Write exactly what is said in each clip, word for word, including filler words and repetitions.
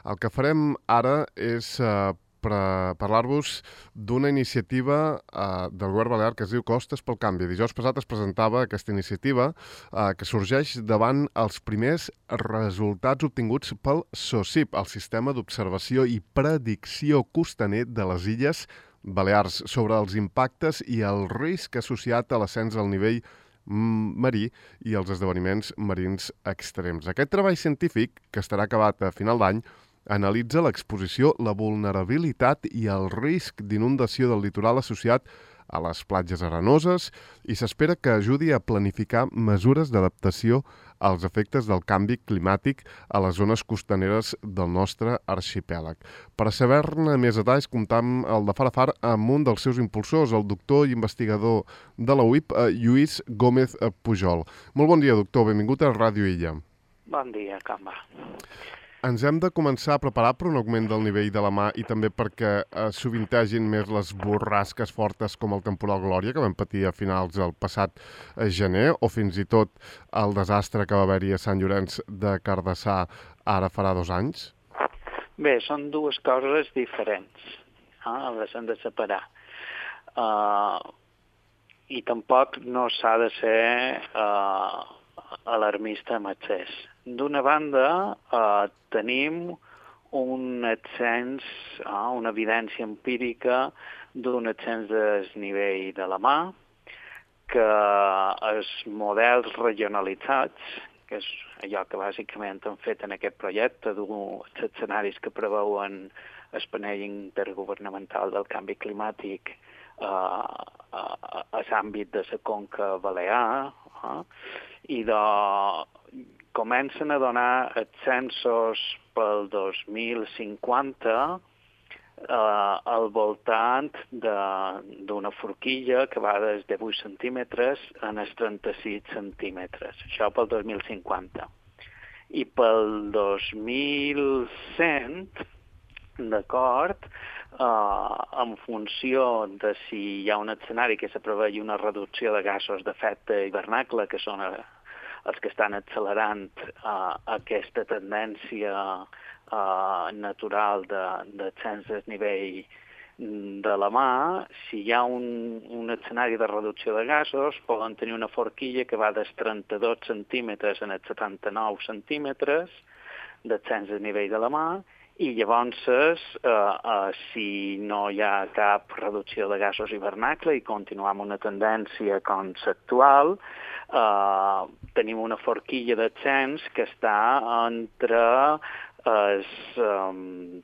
El que farem ara és eh, per parlar-vos d'una iniciativa eh, del Govern Balear que es diu Costes pel Canvi. Dijous passat es presentava aquesta iniciativa eh, que sorgeix davant els primers resultats obtinguts pel SOSIP, el Sistema d'Observació i Predicció Costaner de les Illes Balears, sobre els impactes i el risc associat a l'ascens del nivell marí i els esdeveniments marins extrems. Aquest treball científic, que estarà acabat a final d'any, analitza l'exposició, la vulnerabilitat i el risc d'inundació del litoral associat a les platges arenoses i s'espera que ajudi a planificar mesures d'adaptació als efectes del canvi climàtic a les zones costaneres del nostre arxipèlag. Per saber-ne més detalls, comptam el de far a far amb un dels seus impulsors, el doctor i investigador de la U I P, Lluís Gómez Pujol. Molt bon dia, doctor. Benvingut a Ràdio Illa. Bon dia, com va? Ens hem de començar a preparar per un augment del nivell de la mar i també perquè eh, sovintegin més les borrasques fortes com el temporal Glòria que vam patir a finals del passat eh, gener, o fins i tot el desastre que va haver-hi a Sant Llorenç de Cardassar ara farà dos anys? Bé, són dues coses diferents. Ah, les hem de separar. Uh, I tampoc no s'ha de ser uh, alarmista amb excés. D'una banda, eh, tenim un ascens, eh, una evidència empírica d'un ascens del nivell de la mar, que els models regionalitzats, que és allò que bàsicament han fet en aquest projecte, dels escenaris que preveuen el panell intergovernamental del canvi climàtic eh, a, a l'àmbit de la conca balear, eh, i de comencen a donar ascensos pel dos mil cinquanta eh, al voltant d'una forquilla que va des de vuit centímetres a els trenta-sis centímetres. Això pel dos mil cinquanta. I pel dos mil cent, d'acord, eh, en funció de si hi ha un escenari que se prevegi una reducció de gasos d'efecte hivernacle, que són els que estan accelerant uh, aquesta tendència uh, natural d'ascens de, del nivell de la mar, si hi ha un, un escenari de reducció de gasos, poden tenir una forquilla que va dels trenta-dos centímetres als setanta-nou centímetres d'ascens del nivell de la mar, i llavors, eh, eh, si no hi ha cap reducció de gasos hivernacle i continuem una tendència com l'actual, eh, tenim una forquilla d'ascens que està entre els, um,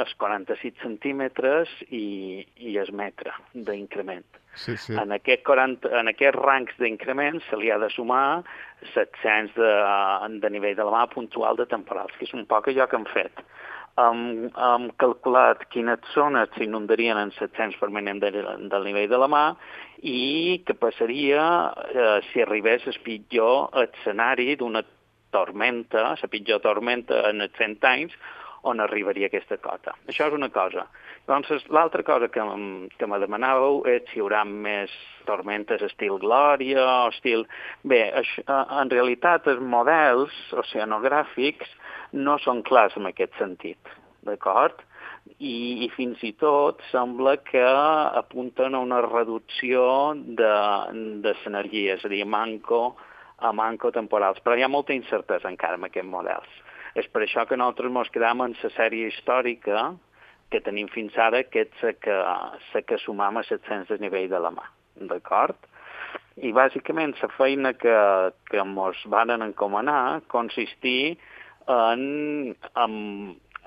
els quaranta-sis centímetres i, i el metre d'increment. Sí, sí. En, aquest quaranta, en aquests rangs d'increment se li ha de sumar l'ascens de, de nivell de la mar puntual de temporals, que és un poc allò que hem fet. Hem, hem calculat quines zones s'inundarien en l'ascens permanent de, del nivell de la mar i què passaria eh, si arribés el pitjor escenari d'una tormenta, la pitjor tormenta en els cent anys, on arribaria aquesta cota. Això és una cosa. Llavors, l'altra cosa que, que me demanàveu és si hi haurà més tormentes estil Glòria o estil... Bé, això, en realitat els models oceanogràfics no són clars en aquest sentit, d'acord? I, i fins i tot sembla que apunten a una reducció de, de l'energia, és a dir, a manco, a manco temporals. Però hi ha molta incertesa encara amb aquests models. És per això que nosaltres ens quedam en la sèrie històrica que tenim fins ara, que és la que, la que sumam a l'ascens del nivell de la mar, d'acord? I bàsicament la feina que, que ens van encomanar consistir en, en,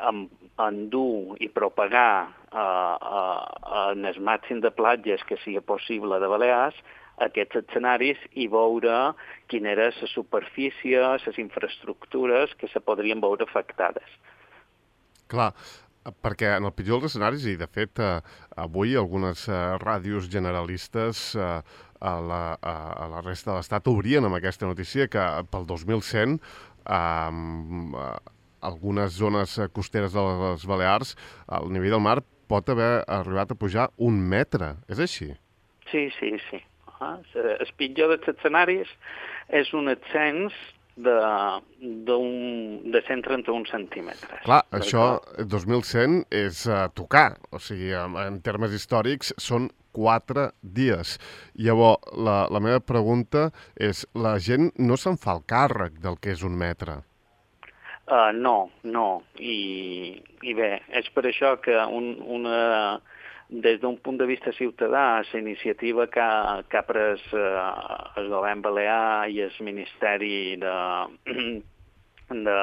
en, en dur i propagar eh, eh, en el màxim de platges que sigui possible de Balears aquests escenaris i veure quina era la superfície, les infraestructures que se podrien veure afectades. Clar, perquè en el pitjor dels escenaris, i de fet eh, avui algunes eh, ràdios generalistes eh, a, la, a, a la resta de l'Estat obrien amb aquesta notícia que pel dos mil cent eh, eh, algunes zones costeres de les Balears el nivell del mar pot haver arribat a pujar un metre. És així? Sí, sí, sí. Ah, el pitjor dels escenaris és un ascens de, d'un, de cent trenta-un centímetres. Clar, això, dos mil cent, és uh, tocar. O sigui, en, en termes històrics, són quatre dies. Llavors, la, la meva pregunta és, la gent no se'n fa el càrrec del que és un metre? Uh, no, no. I, I bé, és per això que un, una, des d'un punt de vista ciutadà, la iniciativa que ha, que ha pres uh, el govern balear i el Ministeri de, de,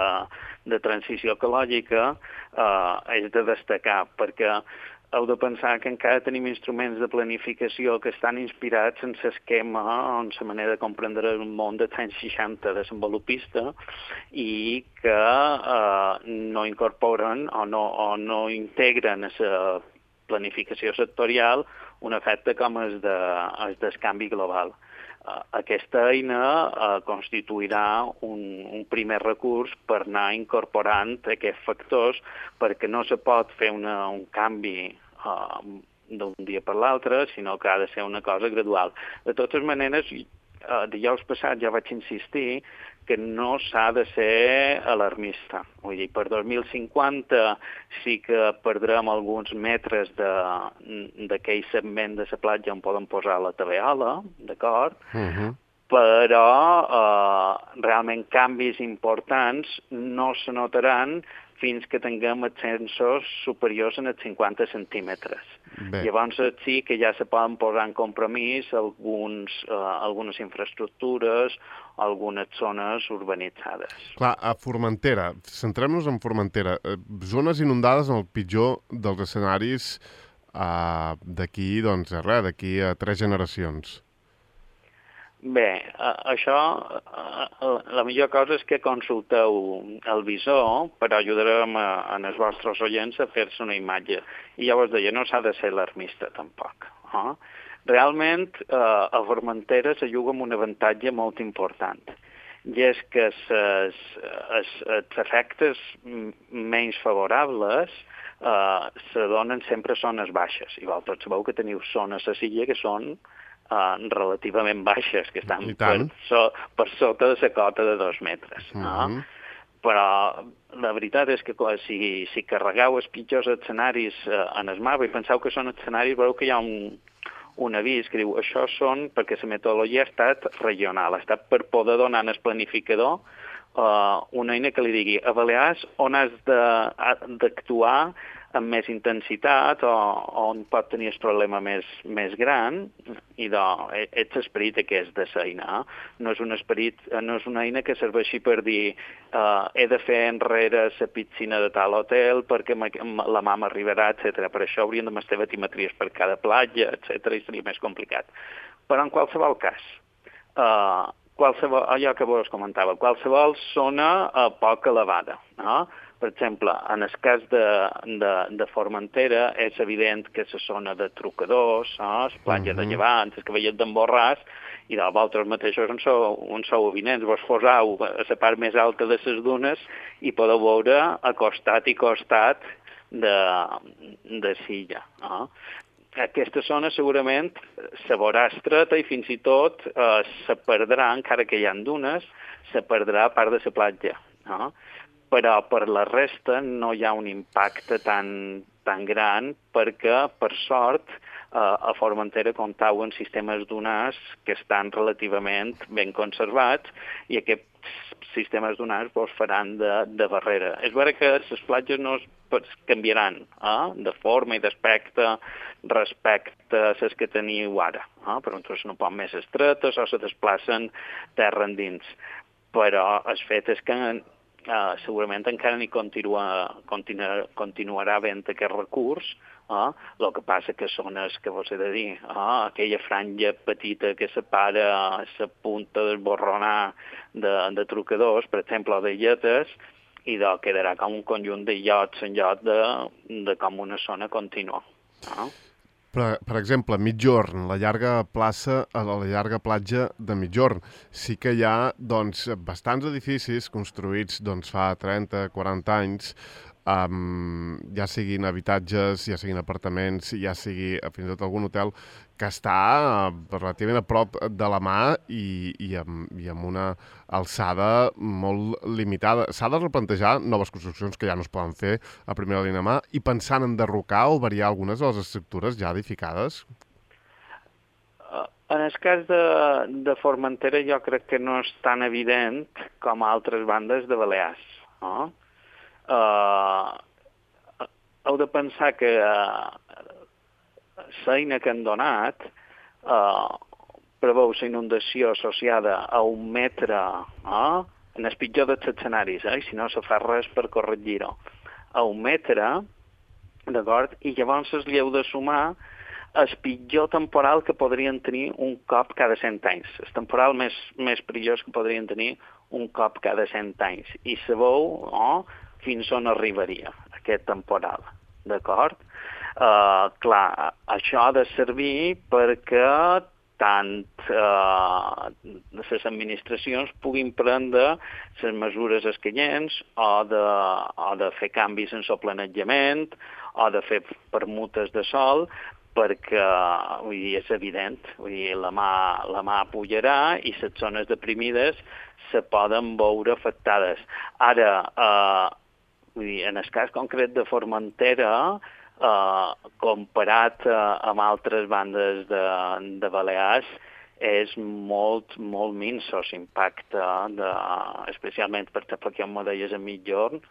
de Transició Ecològica uh, és de destacar, perquè heu de pensar que encara tenim instruments de planificació que estan inspirats en l'esquema, en la manera de comprendre el món dels anys seixanta desenvolupista i que eh, no incorporen o no, o no integren a la planificació sectorial un efecte com el, de, el del canvi global. Aquesta eina eh, constituirà un, un primer recurs per anar incorporant aquests factors perquè no se pot fer una, un canvi eh, d'un dia per l'altre, sinó que ha de ser una cosa gradual. De totes maneres, eh, dijous passat ja vaig insistir que no s'ha de ser alarmista. Vull dir, per dos mil cinquanta sí que perdrem alguns metres d'aquell segment de la platja on poden posar la taveola, d'acord? Uh-huh. Però eh, realment canvis importants no se notaran fins que tinguem ascensos superiors en els cinquanta centímetres. Bé. Llavors sí que ja se poden posar en compromís alguns, eh, algunes infraestructures, algunes zones urbanitzades. Clar, a Formentera, centrem-nos en Formentera, eh, zones inundades en el pitjor dels escenaris eh, d'aquí, doncs, res, d'aquí a tres generacions. Bé, això, la millor cosa és que consulteu el visor, però ajudarem a, a els vostres oients a fer-se una imatge. I ja vos deia, no s'ha de ser alarmista tampoc. Eh? Realment, eh, a Formentera se juga amb un avantatge molt important, i és que els efectes menys favorables eh, se donen sempre a zones baixes. I vosaltres sabeu que teniu zones a Silla que són Uh, relativament baixes, que estan per, so, per sota de la cota de dos metres. Uh-huh. No? Però la veritat és que si, si carregueu els pitjors escenaris uh, en el mapa i penseu que són escenaris, veureu que hi ha un, un avís que diu això són perquè la metodologia ha estat regional, ha estat per poder donar al planificador uh, una eina que li digui a Balears on has d'actuar amb més intensitat o on pot tenir el problema més, més gran i de, ets esperit aquest de l'eina. No és un esperit, no és una eina que serveixi per dir uh, he de fer enrere la piscina de tal hotel perquè la mama arribarà, etcètera. Per això haurien de estar batimetries per cada platja, etcètera, i seria més complicat. Però en qualsevol cas, uh, qualsevol, allò que vos comentava, qualsevol zona uh, poc elevada, no? Per exemple, en el cas de, de, de Formentera és evident que la zona de trucadors, no? La platja uh-huh. de Llevant, el que veieu d'en Borràs, i de vosaltres mateixos on sou, on sou evidents. Vos posau a la part més alta de les dunes i podeu veure a costat i costat de, de Silla. No? Aquesta zona segurament se veurà estreta i fins i tot eh, se perdrà, encara que hi ha dunes, se perdrà part de la platja. No? Però per la resta no hi ha un impacte tan, tan gran perquè, per sort, eh, a Formentera comptau en sistemes dunars que estan relativament ben conservats i aquests sistemes dunars vos faran de, de barrera. És vera que les platges no es canviaran eh, de forma i d'aspecte respecte a les que teniu ara, eh, però són un poc més estretes o se desplacen terra endins. Però el fet és que Uh, segurament encara n'hi continua, continua, continuarà havent aquest recurs, uh, el que passa que són els que vos he de dir, uh, aquella franja petita que separa la punta del borronar de, de trucadors, per exemple, o de lletes, i de, quedarà com un conjunt de llots en lloc de, de com una zona contínua. Uh. Per, per exemple, Migjorn, la llarga plaça, a la llarga platja de Migjorn, sí que hi ha doncs, bastants edificis construïts doncs, fa trenta quaranta anys um, ja siguin habitatges, ja siguin apartaments, ja sigui fins i tot algun hotel, que està relativament a prop de la mà i, i, amb, i amb una alçada molt limitada. S'ha de replantejar noves construccions que ja no es poden fer a primera línia de mà i pensant en derrocar o variar algunes de les estructures ja edificades? En el cas de, de Formentera jo crec que no és tan evident com a altres bandes de Balears. No? Uh, heu de pensar que uh, l'eina que han donat uh, preveu la inundació associada a un metre, uh, en el pitjor dels escenaris, eh? Si no se fa res per corregir-ho, a un metre, d'acord? I llavors es li heu de sumar el pitjor temporal que podrien tenir un cop cada cent anys. El temporal més, més perillós que podrien tenir un cop cada cent anys. I sabeu oh, fins on arribaria aquest temporal, d'acord? Uh, clar, això ha de servir perquè tant uh, les administracions puguin prendre les mesures escanyents o de, o de fer canvis en el planejament o de fer permutes de sol, perquè vull dir, és evident, vull dir, la mà, la mà pujarà i les zones deprimides se poden veure afectades. Ara, eh, vull dir, en el cas concret de Formentera, eh, comparat eh, amb altres bandes de, de Balears, és molt, molt minso l'impacte, de, especialment, per exemple, que em deies a mitjorn,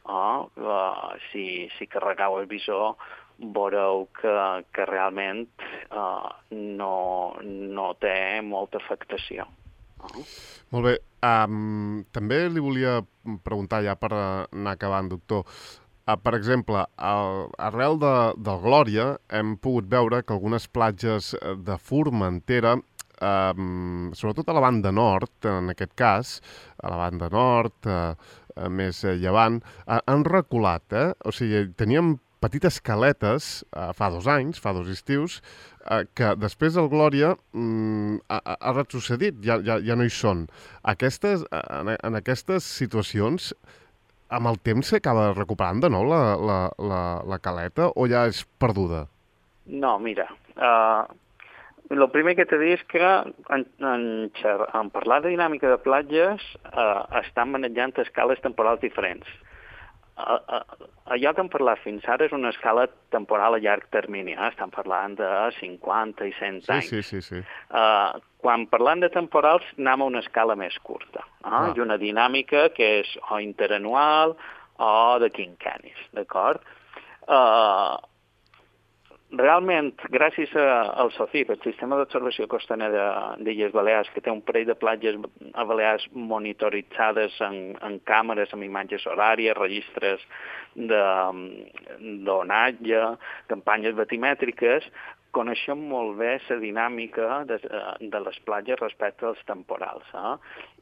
oh, uh, si, si carregau el visor, veureu que, que realment uh, no, no té molta afectació. Uh. Molt bé. Um, també li volia preguntar, ja per anar acabant, doctor, uh, per exemple, al, arrel de, del Glòria hem pogut veure que algunes platges de Formentera, um, sobretot a la banda nord, en aquest cas, a la banda nord, uh, uh, més llevant, uh, han reculat, eh? O sigui, teníem petites caletes, eh, fa dos anys, fa dos estius, eh, que després del Glòria mm, ha, ha retrocedit, ja, ja, ja no hi són. Aquestes, en, en aquestes situacions, amb el temps s'acaba recuperant de nou la, la, la, la caleta o ja és perduda? No, mira, uh, el primer que t'he dit és que en, en, en parlar de dinàmica de platges uh, estan manejant escales temporals diferents. Uh, uh, allò que hem parlat fins ara és una escala temporal a llarg termini, eh? Estan parlant de cinquanta i cent anys. Sí, sí, sí. sí. Uh, quan parlant de temporals anem a una escala més curta, eh? Ah. I una dinàmica que és o interanual o de quinquennis, d'acord? Uh, Realment, gràcies a, al SOCIP, el Sistema d'Observació Costaner de, d'Illes Balears, que té un parell de platges a Balears monitoritzades en, en càmeres, amb imatges horàries, registres d'onatge, campanyes batimètriques, coneixem molt bé la dinàmica de, de les platges respecte als temporals. Eh?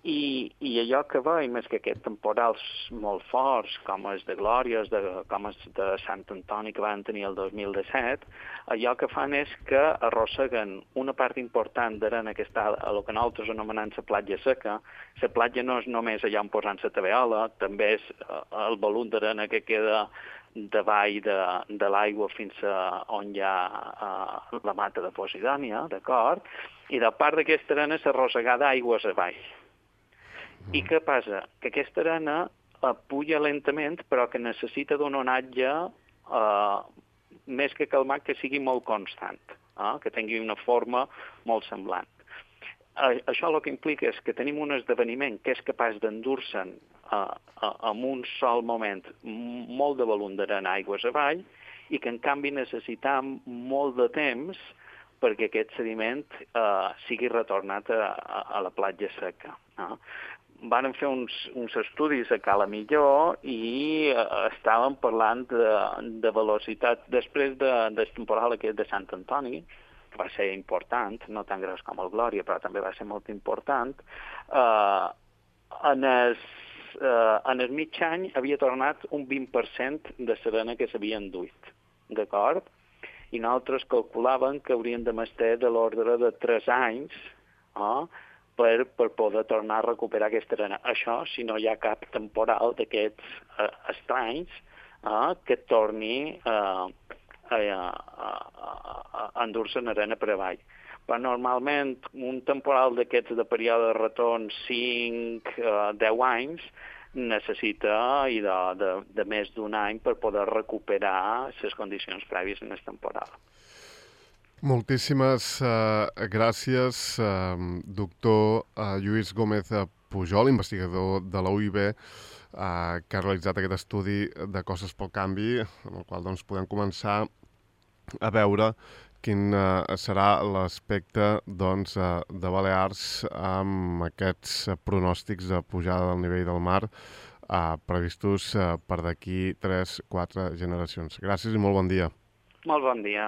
I, I allò que veiem és que aquests temporals molt forts, com els de Glòria, de, com els de Sant Antoni que van tenir el dos mil disset, allò que fan és que arrosseguen una part important d'arena que està a el que nosaltres anomenem la platja seca. La platja no és només allà on posant la taveola, també és el volum d'arena que queda davall de, de l'aigua fins a on hi ha uh, la mata de Posidònia, d'acord? I de part d'aquesta arena s'arrossegar d'aigües avall. Mm. I què passa? Que aquesta arena uh, puja lentament, però que necessita d'un onatge uh, més que calmat, que sigui molt constant, uh, que tingui una forma molt semblant. Uh, això el que implica és que tenim un esdeveniment que és capaç d'endur-se'n uh, uh, en un sol moment molt de volum d'arena aigües avall i que en canvi necessitam molt de temps perquè aquest sediment uh, sigui retornat a, a, a la platja seca. Uh. Van fer uns, uns estudis a Cala Millor i uh, estàvem parlant de, de velocitat després de, del temporal aquest de Sant Antoni, que va ser important, no tan gros com el Glòria, però també va ser molt important, eh, en, el, eh, en el mig any havia tornat un vint per cent de l'arena que s'havia enduit, d'acord? I nosaltres calculàvem que haurien de mestre de l'ordre de tres anys eh, per, per poder tornar a recuperar aquesta arena. Això si no hi ha cap temporal d'aquests eh, estranys eh, que torni eh, a, a, a, a endur-se en arena per avall. Però normalment un temporal d'aquests de període de retorn cinc a deu anys necessita i de, de, de més d'un any per poder recuperar les condicions prèvies en el temporal. Moltíssimes uh, gràcies, uh, doctor uh, Lluís Gómez Pujol, investigador de la U I B, uh, que ha realitzat aquest estudi de costes pel canvi, en el qual doncs, podem començar a veure quin uh, serà l'aspecte doncs, uh, de Balears amb aquests uh, pronòstics de pujada del nivell del mar uh, previstos uh, per d'aquí tres quatre generacions. Gràcies i molt bon dia. Molt bon dia.